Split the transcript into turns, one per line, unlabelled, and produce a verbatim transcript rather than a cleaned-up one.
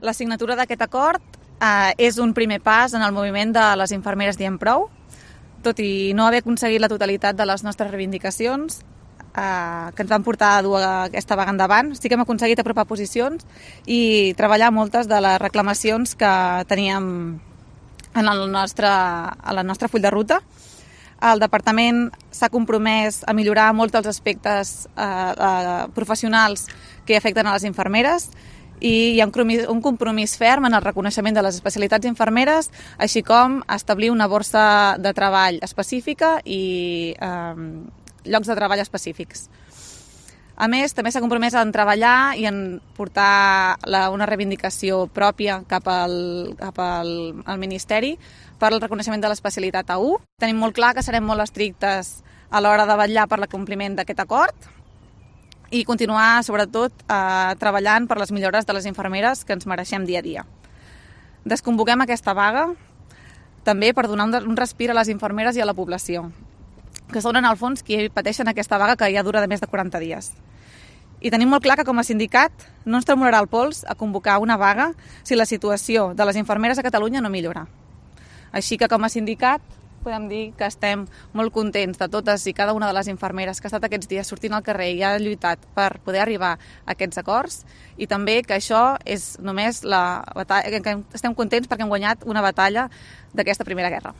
La signatura d'aquest acord eh, és un primer pas en el moviment de les infermeres Diem Prou. Tot i no haver aconseguit la totalitat de les nostres reivindicacions eh, que ens van portar a dur aquesta vaga endavant, sí que hem aconseguit apropar posicions i treballar moltes de les reclamacions que teníem en el nostre, a la nostra full de ruta. El departament s'ha compromès a millorar molts dels aspectes eh, eh, professionals que afecten a les infermeres i hi ha un compromís ferm en el reconeixement de les especialitats infermeres, així com establir una borsa de treball específica i eh, llocs de treball específics. A més, també s'ha compromès en treballar i en portar la, una reivindicació pròpia cap al, cap al, al Ministeri per al reconeixement de l'especialitat A u. Tenim molt clar que serem molt estrictes a l'hora de vetllar per l'acompliment d'aquest acord i continuar, sobretot, eh, treballant per les millores de les infermeres que ens mereixem dia a dia. Desconvoquem aquesta vaga també per donar un, un respir a les infermeres i a la població, que són en el fons qui pateixen aquesta vaga que ja dura de més de quaranta dies. I tenim molt clar que com a sindicat no ens tremolarà el pols a convocar una vaga si la situació de les infermeres a Catalunya no millora. Així que com a sindicat podem dir que estem molt contents de totes i cada una de les infermeres que ha estat aquests dies sortint al carrer i ha lluitat per poder arribar a aquests acords i també que això és només la batalla, que estem contents perquè hem guanyat una batalla d'aquesta primera guerra.